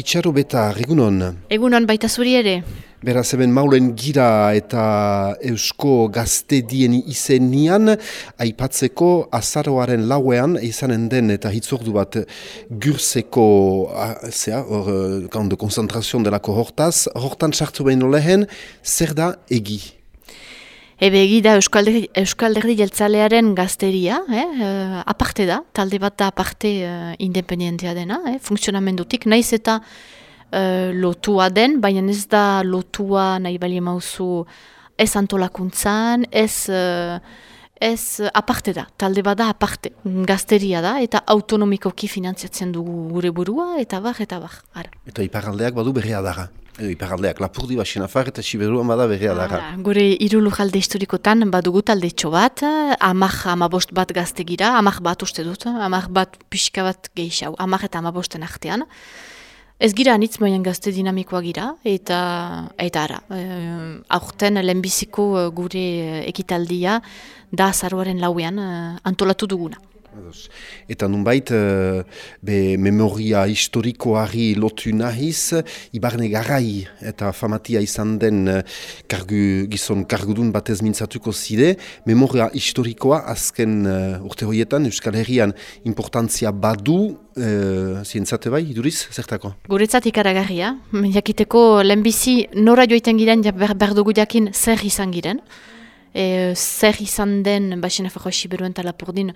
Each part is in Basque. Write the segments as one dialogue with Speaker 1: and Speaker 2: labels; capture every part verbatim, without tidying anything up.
Speaker 1: Itxaro Beta, egunon.
Speaker 2: Egunon baita zuri ere.
Speaker 1: Beraz, hemen maulen gira eta eusko gaztedien izenian, aipatzeko azaroaren lauean, izanen den eta hitzordu bat Gürzeko, zea, hor, de konzentrazion delako hortaz, hortan sartu behin lehen, zer da egi?
Speaker 2: Ebe egi da Euskalderdi Jeltzalearen gazteria, eh? uh, aparte da, talde bat da aparte uh, independentea dena, eh? Funksionamendutik, naiz eta uh, lotua den, baina ez da lotua nahi bali mauzu ez antolakuntzan, ez, uh, ez aparte da, talde bat da aparte, gazteria da, eta autonomikoki finantziatzen dugu gure burua, eta bar, eta bar. Ara.
Speaker 1: Eta iparaldeak badu berria dara. Iparaldeak Lapurdi, Baxenafar eta Siberuan bada berria dara.
Speaker 2: Gure hiru lurralde historikotan badugu taldetxo bat, amak amabost bat gaztegira, amak bat uste dut, amak bat pixka bat gehiago, amak eta amabosten artean. Ez gira anitz moien gazte dinamikoa gira, eta, eta ara, e, aurten lehenbiziko gure ekitaldia da azaroaren lauean antolatu duguna.
Speaker 1: Eta nunbait, be memoria historikoari lotu nahiz, Ibarne Garai eta famatia izan den kargu, gizon kargudun batez mintzatuko zide, memoria historikoa azken uh, urte horietan Euskal Herrian importantzia badu, uh, zientzate bai, iduriz, zertako?
Speaker 2: Guretzat ikaragarria, jakiteko lehenbizi nora joiten giren, ber, berdugu jakin zer izan giren. E, zer izan den Baxenafarroa Siberuen eta Lapurdin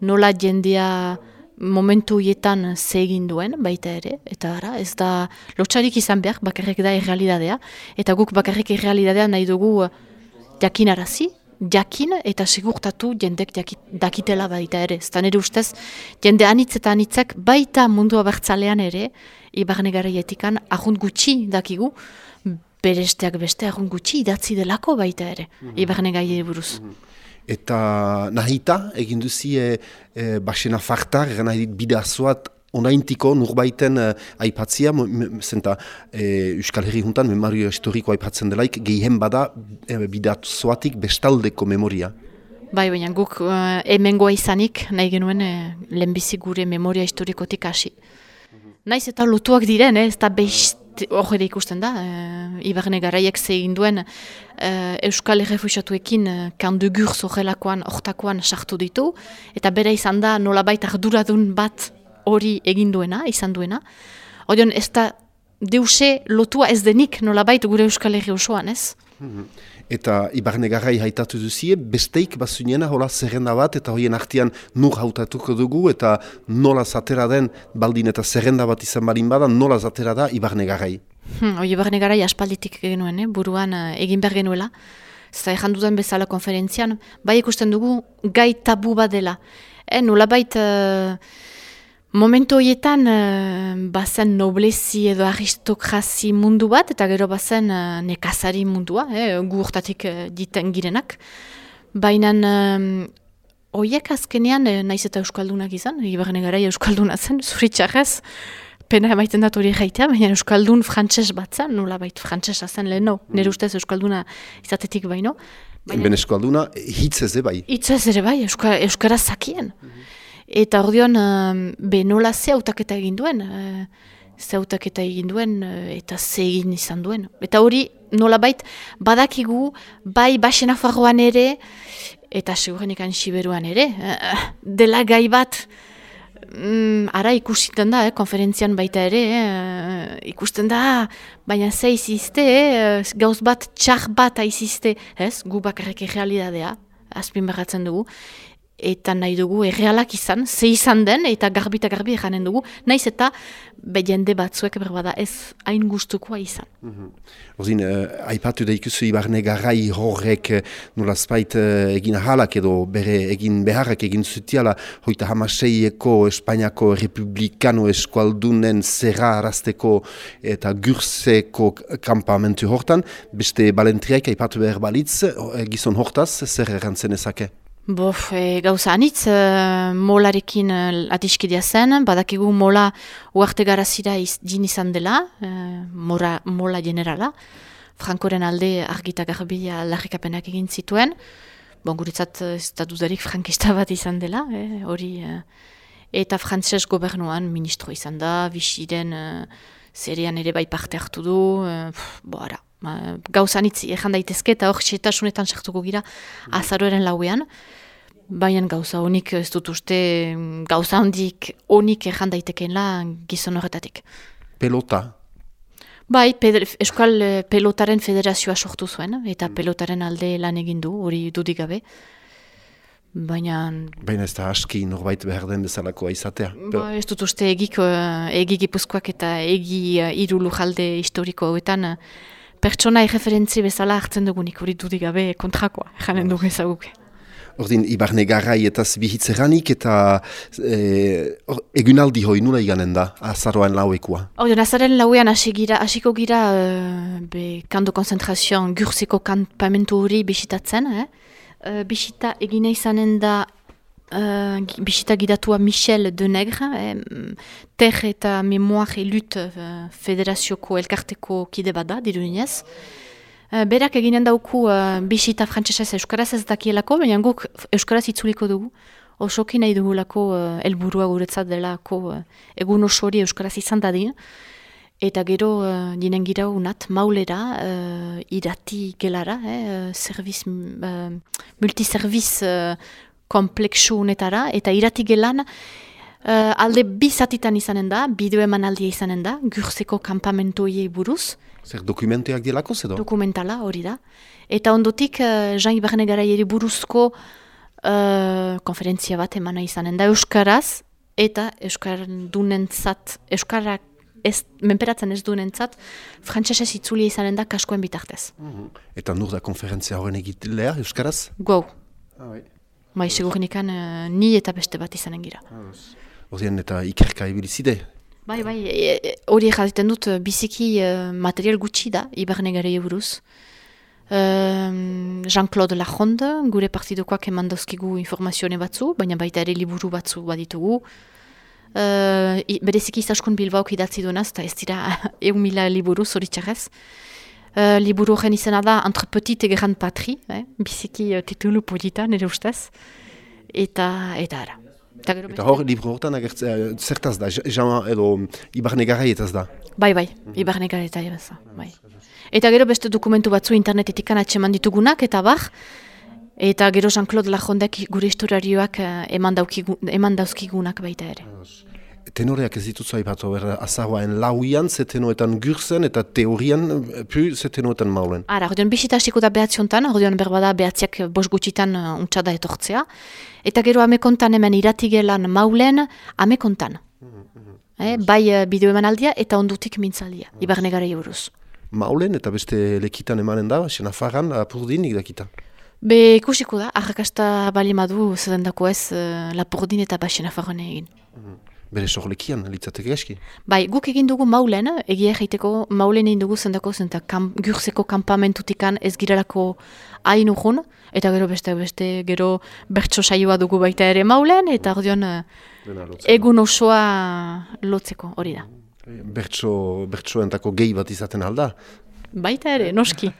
Speaker 2: nola jendea momentu hietan ze egin duen baita ere, eta ara, ez da lotxarik izan behar, bakarrik da errealidadea, eta guk bakarrik errealidadea nahi dugu jakinarazi, jakin eta segurtatu jendek dakitela baita ere. Ez da nire ustez, jende anitz eta anitzak baita mundu abertzalean ere, Ibarne Garaietikan ahunt gutxi dakigu, beresteak beste agun gutxi idatzi delako baita ere, mm -hmm. Ibarne Gaiei buruz. Mm -hmm.
Speaker 1: Eta nahita, egin duzi e, e, Baxenafartar, nahi bidazoat onaintiko nurbaiten e, aipatzia, zenta e, Euskal Herri juntan memoria historiko aipatzen delaik, gehien bada e, bidazoatik bestaldeko memoria.
Speaker 2: Bai, baina guk uh, hemengoa izanik nahi genuen e, lehenbizi gure memoria historikotik hasi. Mm -hmm. Naiz eta lotuak diren, eh, ez da behiz hor ikusten da, e, Ibarne Garaiek zegin duen e, Euskal Errefuxatuekin e, kandu Gürz horrelakoan, hortakoan sartu ditu, eta bere izan da nolabait arduradun bat hori egin duena, izan duena. Horion ez da deuse lotua ez denik nolabait gure Euskal Herri osoan, ez?
Speaker 1: Mm-hmm. Eta Ibarne Garai haitatu duzie, besteik bazuniena hola zerrenda bat, eta horien artean nur hautatuko dugu, eta nola zatera den baldin eta zerrenda bat izan balin bada, nola zatera da Ibarne Garai.
Speaker 2: Hmm, Oi Ibarne Garai aspalditik genuen, eh? Buruan uh, egin behar genuela. Zeta ejan dudan bezala konferentzian, bai ikusten dugu gai tabu bat dela. Eh, nola bait... Uh, Momentu horietan, uh, bazen noblezi edo aristokrazi mundu bat, eta gero bazen uh, nekazari mundua, eh, gu urtatik uh, diten girenak. Baina um, horiek azkenean, eh, naiz eta Euskaldunak izan, Ibarne Garai Euskalduna zen, zuritxarrez, pena emaiten dat hori gaitea, baina Euskaldun frantses bat zen, nola bait frantsesa zen leheno, mm. Nire ustez Euskalduna izatetik baino.
Speaker 1: Ben Euskalduna hitzez ere bai.
Speaker 2: Hitzez ere bai, Euskara, Euskara zakien. Mm-hmm. Eta ordeon, uh, be nola ze hautaketa egin duen, uh, ze hautaketa egin duen, uh, eta ze egin izan duen. Eta hori nolabait badakigu, bai Baxenafarroan ere, eta segurenekan Siberuan ere, uh, dela gai bat, um, ara ikusten da, eh, konferentzian baita ere, eh, ikusten da, baina ze izizte, eh, gauz bat, txar bat aizizte, ez, gu bakarrik errealidadea, azpin beratzen dugu, eta nahi dugu errealak izan, ze izan den, eta garbi eta garbi eranen dugu, naiz eta be jende batzuek berbada ez hain gustukoa izan.
Speaker 1: Mm-hmm. Ozin, uh, aipatu da ikusi Ibarne Garai horrek uh, nolazpait uh, egin ahalak edo bere egin beharrak egin zutiala hoita hamaseieko Espainiako Republikano Eskualdunen zerra arazteko eta Gürzeko kampamentu hortan, beste balentriak aipatu behar balitz, gizon hortaz, zer errantzen ezake?
Speaker 2: Bof, e, gauza anitz, e, molarekin e, atiskidea zen, badakigu mola uarte garazira iz, din izan dela, e, mora, mola generala, Frankoren alde argita garbia larrikapenak egin zituen, bon, guretzat ez da dudarik frankista bat izan dela, hori, e, eta frantses gobernuan ministro izan da, bisiren e, Zerian ere bai parte hartu du, uh, bo ara, uh, gauzan itzi ejan daitezke eta hor xetasunetan sartuko gira azaroaren lauean, baina gauza honik ez dut uste gauza hondik honik ejan daitekeela gizon horretatik.
Speaker 1: Pelota?
Speaker 2: Bai, Euskal Pelotaren Federazioa sortu zuen, eta pelotaren alde lan egin du, hori dudik gabe. Baina...
Speaker 1: Baina ez da aski norbait behar den bezalakoa izatea.
Speaker 2: Ba, ez dut uste egik, egi Gipuzkoak eta egi hiru lujalde historiko hauetan pertsona erreferentzi bezala hartzen dugunik, hori dudik gabe kontrakoa, janen dugu ezaguke.
Speaker 1: Ordin, Ibarne Garai eta Zibihitzeranik eta e, egunaldi hoi nula iganen da, azaroan lauekua?
Speaker 2: Ordin, azaren lauean hasiko gira uh, be, kanto konzentrazioan Gurzeko kanpamentu hori bisitatzen. Eh? Uh, bisita egine izanen da uh, bisita gidatua Michel Denegre, eh? Ter eta Memoire et Lutte uh, Federazioko elkarteko kide bada, dirudinez. Uh, berak eginen dauku uh, bisita frantsesez euskaraz ez dakielako, baina guk euskaraz itzuliko dugu. Osoki nahi dugulako uh, helburua guretzat delako uh, egun osori euskaraz izan dadin. Eta gero uh, dinen gira unat maulera, uh, irati gelara, eh, serviz, uh, multiserviz uh, kompleksu honetara, eta irati gelan uh, alde bi zatitan izanen da, bideo emanaldia izanen da, Gurzeko kanpamentuei buruz.
Speaker 1: Zer dokumentuak dielako edo?
Speaker 2: Dokumentala hori da. Eta ondotik uh, Jean Ibarne Garaieri buruzko uh, konferentzia bat emana izanen da euskaraz, eta euskardunentzat, euskarak ez, menperatzen ez duenentzat, frantsesez itzulia izanen da kaskoen bitartez.
Speaker 1: Mm-hmm. Eta nur da konferentzia horren egitlea euskaraz?
Speaker 2: Gau.
Speaker 1: Ah, bai.
Speaker 2: Bai, segurinikan uh, ni eta beste bat izanen gira.
Speaker 1: Horien eta ikerka ibilizide?
Speaker 2: Bai, bai, hori egiten dut biziki uh, material gutxi da, Ibarne Garaia buruz. Uh, Jean-Claude Lajonde, gure partidokoak eman dauzkigu informazione batzu, baina baita ere liburu batzu baditugu. Uh, bereziki Izaskun Bilbaok idatzi duenaz, eta ez dira egun mila liburu zoritxarrez. Uh, liburu horren izena da Entre Petite et Grande Patrie, eh? biziki uh, titulu polita, nire ustez. Eta, eta ara.
Speaker 1: Eta, eta hor, libro horretan agertzea, zertaz da, Jean edo Ibarne Garaietaz da?
Speaker 2: Bai, bai, Ibarne Garaietaz da, bai. Eta gero beste dokumentu batzu internetetik atseman ditugunak, eta bar, eta gero Jean-Claude Lajondek gure historiarioak eman, eman dauzkigunak baita ere.
Speaker 1: Tenoreak ez dituzu aipatu, azaroaen lauian, ze tenoetan Gurzen, eta teorian, pu, ze tenoetan maulen. Ara,
Speaker 2: ordeon bisita hasiko da behatziontan, ordeon berbada behatziak bos gutxitan untxada etortzea. Eta gero amekontan hemen iratigelan maulen, amekontan. Mm-hmm. eh, bai bideo emanaldia eta ondutik mintzaldia, mm-hmm. Ibarne Garaia buruz.
Speaker 1: Maulen eta beste lekitan emanen da, Senafarran, Lapurdinik dakita?
Speaker 2: Be ikusiko da, arrakasta balimadu zedendako ez Lapurdin eta ba Senafarran egin.
Speaker 1: Mm-hmm. Bere sorlekian, litzateke eski?
Speaker 2: Bai, guk egin dugu maulen, egia egiteko maulen egin dugu zendako zenta kam, Gurzeko kanpamentutikan ez girelako hain urgun, eta gero beste beste gero bertso saioa dugu baita ere maulen, eta ordeon egun osoa lotzeko hori da.
Speaker 1: Bertso, bertsoentako gehi bat izaten alda?
Speaker 2: Baita ere, noski.